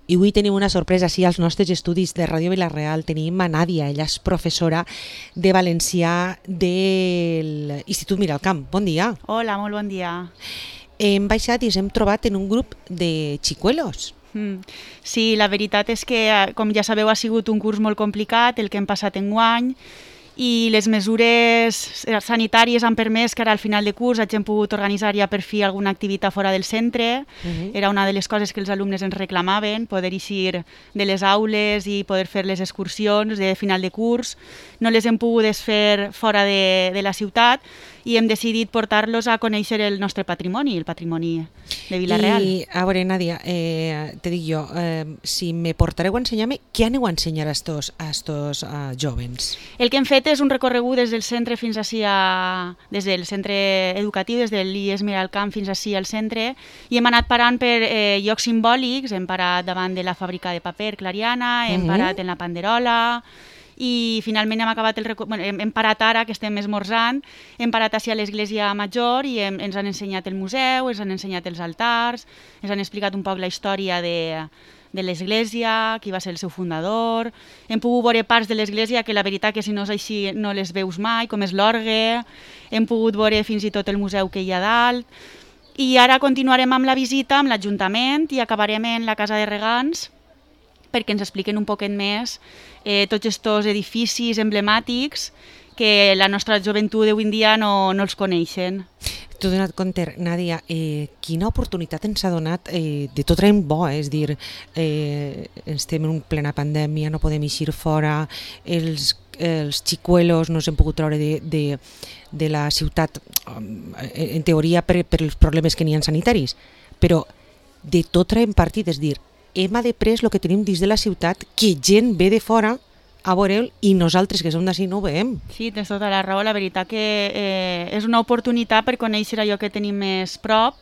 I avui tenim una sorpresa així als nostres estudis de Ràdio Vila-real. Tenim a Nàdia, ella és professora de valencià de l'Institut Miralcamp. Bon dia. Hola, molt bon dia. Hem baixat i ens hem trobat en un grup de xicuelos. Sí, la veritat és que, com ja sabeu, ha sigut un curs molt complicat el que hem passat enguany, i les mesures sanitàries han permès que ara al final de curs hagin pogut organitzar ja per fi alguna activitat fora del centre. Era una de les coses que els alumnes ens reclamaven, poder eixir de les aules i poder fer les excursions de final de curs. No les hem pogut fer fora de la ciutat i hem decidit portar-los a conèixer el nostre patrimoni, el patrimoni de Vila-real. I a veure, Nàdia, te dic jo, si me portareu a ensenyar-me, què aneu a ensenyar a estos jovens? El que hem fet és un recorregut des del centre fins ací des del centre educatiu, des de l'IES Miralcamp fins ací al centre, i hem anat parant per llocs simbòlics. Hem parat davant de la fàbrica de paper Clariana, hem parat en la Panderola, i finalment hem parat ara, que estem esmorzant, hem parat a l'església major i ens han ensenyat el museu, ens han ensenyat els altars, ens han explicat un poc la història de l'església, qui va ser el seu fundador. Hem pogut veure parts de l'església que la veritat que si no és així no les veus mai, com és l'orgue. Hem pogut veure fins i tot el museu que hi ha dalt. I ara continuarem amb la visita amb l'Ajuntament i acabarem en la Casa de Regants perquè ens expliquen un poquet més tots aquests edificis emblemàtics que la nostra joventut d'avui en dia no els coneixen. T'ho he donat compte, Nàdia, quina oportunitat ens ha donat de tot arreu bo, és dir, estem en plena pandèmia, no podem eixir fora, els xicuelos no s'han pogut treure de la ciutat, en teoria per els problemes que n'hi ha sanitaris, però de tot arreu partit, és dir, hem après el que tenim dins de la ciutat, que gent ve de fora a veure'l i nosaltres que som d'ací no ho veiem. Sí, tens tota la raó. La veritat que és una oportunitat per conèixer allò que tenim més prop,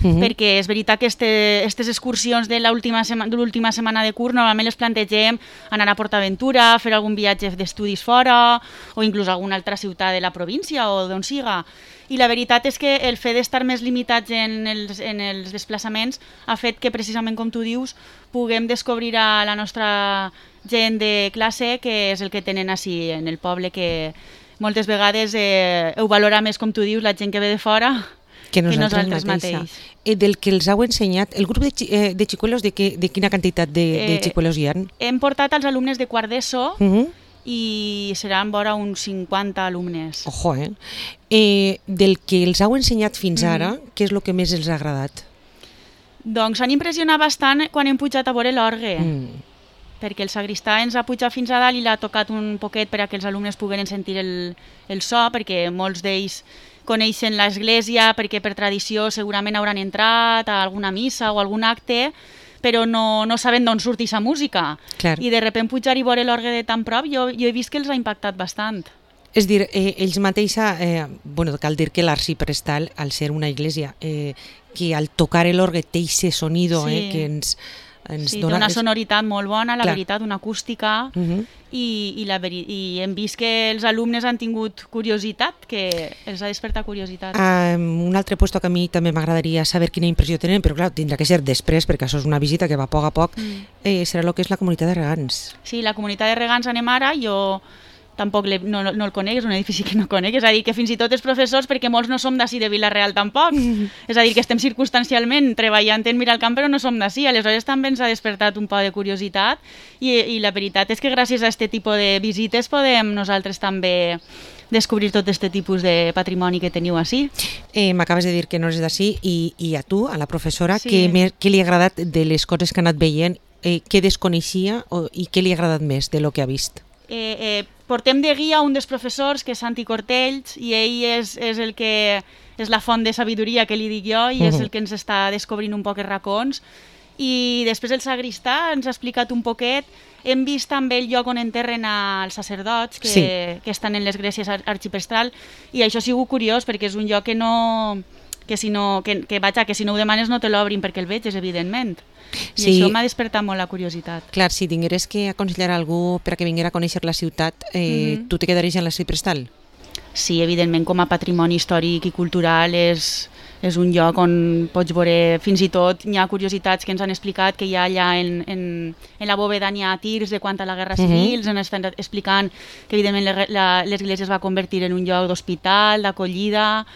perquè és veritat que aquestes excursions de l'última setmana de curs normalment les plantegem anar a PortAventura, fer algun viatge d'estudis fora o inclús a alguna altra ciutat de la província o d'on siga. I la veritat és que el fet d'estar més limitats en els desplaçaments ha fet que precisament, com tu dius, puguem descobrir a la nostra gent de classe, que és el que tenen així en el poble, que moltes vegades ho valora més, com tu dius, la gent que ve de fora que nosaltres mateix. Del que els heu ensenyat, el grup de xicuelos, de quina quantitat de xicuelos hi ha? Hem portat els alumnes de quart d'ESO i seran vora uns 50 alumnes. Ojo, del que els heu ensenyat fins ara, què és el que més els ha agradat? Doncs s'han impressionat bastant quan hem pujat a veure l'orgue, perquè el sagristà ens ha pujat fins a dalt i l'ha tocat un poquet per a que els alumnes puguen sentir el so, perquè molts d'ells coneixen l'església, perquè per tradició segurament hauran entrat a alguna missa o algun acte, però no saben d'on surt aquesta música. Clar. I de sobte pujar i veure l'orgue de tan prop, jo he vist que els ha impactat bastant. És dir, ells mateixa, cal dir que l'arxiprestal, al ser una església, que al tocar l'orgue té aquest sonido que ens dona... Té una sonoritat molt bona, la veritat, una acústica, i hem vist que els alumnes han tingut curiositat, que els ha despertat curiositat. Un altre lloc que a mi també m'agradaria saber quina impressió tenen, però clar, tindrà que ser després, perquè això és una visita que va a poc, serà el que és la comunitat de regants. Sí, la comunitat de regants anem ara, jo tampoc no el conec, és un edifici que no conec, és a dir, que fins i tot els professors, perquè molts no som d'ací de Vila-real tampoc, és a dir, que estem circumstancialment treballant en Miralcamp però no som d'ací, aleshores també ens ha despertat un poc de curiositat i la veritat és que gràcies a aquest tipus de visites podem nosaltres també descobrir tot aquest tipus de patrimoni que teniu ací. M'acabes de dir que no és d'ací i a tu, a la professora, què li ha agradat de les coses que ha anat veient, què desconeixia i què li ha agradat més de lo que ha vist? Portem de guia un dels professors, que és Santi Cortells, i ell és el que és la font de sabidoria que li dic jo i és el que ens està descobrint un poc els racons. I després el sagristà ens ha explicat un poquet. Hem vist també el lloc on enterren els sacerdots que estan en l'església arxiprestal, i això ha sigut curiós perquè és un lloc que si no ho demanes no te l'obrin perquè el veges, evidentment. I això m'ha despertat molt la curiositat. Clar, si tingueres que aconsellar algú per a que vinguera a conèixer la ciutat, tu te quedaries en l'arxiprestal? Sí, evidentment, com a patrimoni històric i cultural és és un lloc on pots veure, fins i tot hi ha curiositats que ens han explicat que hi ha allà en la bòveda n'hi ha tirs de quant a la Guerra Civil, ens estan explicant que evidentment l'església es va convertir en un lloc d'hospital, d'acollida,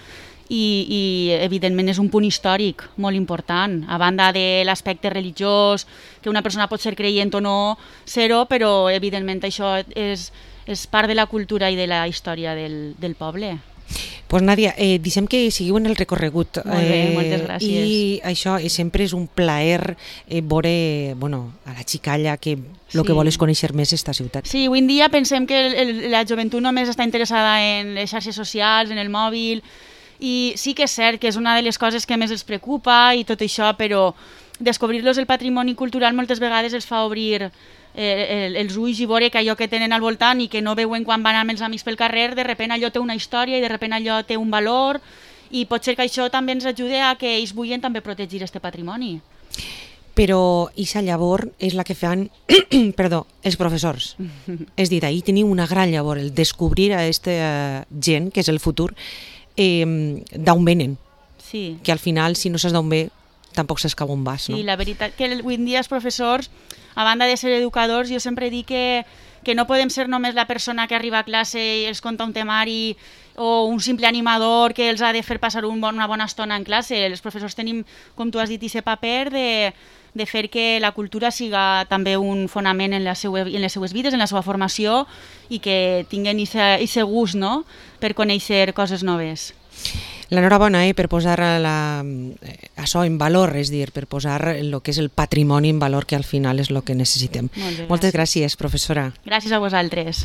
i evidentment és un punt històric molt important, a banda de l'aspecte religiós, que una persona pot ser creient o no ser-ho, però evidentment això és part de la cultura i de la història del poble. Pues Nàdia, deixem que seguiu en el recorregut. Molt bé, moltes gràcies. I això sempre és un plaer veure a la xicalla que el que vol és conèixer més esta ciutat. Sí, avui en dia pensem que la joventut només està interessada en les xarxes socials, en el mòbil, i sí que és cert que és una de les coses que més els preocupa i tot això, però descobrir-los el patrimoni cultural moltes vegades els fa obrir els ulls i veure que allò que tenen al voltant i que no veuen quan van amb els amics pel carrer, de sobte allò té una història i de sobte allò té un valor, i pot ser que això també ens ajudi a que ells vulguin també protegir aquest patrimoni. Però aquesta llavor és la que fan els professors. És dir, ahir teniu una gran llavor, el descobrir a aquesta gent, que és el futur, d'on venen. Sí. Que al final, si no saps d'on ve, tampoc saps cap on vas. No? Sí, la veritat que avui en dia els professors, a banda de ser educadors, jo sempre dic que no podem ser només la persona que arriba a classe i els conta un temari o un simple animador que els ha de fer passar una bona estona en classe. Els professors tenim, com tu has dit, aquest paper de fer que la cultura siga també un fonament en les seues vides, en la seva formació, i que tinguin aquest gust, no?, per conèixer coses noves. L'enhorabona per posar això en valor, és dir, per posar el que és el patrimoni en valor, que al final és el que necessitem. Moltes gràcies, professora. Gràcies a vosaltres.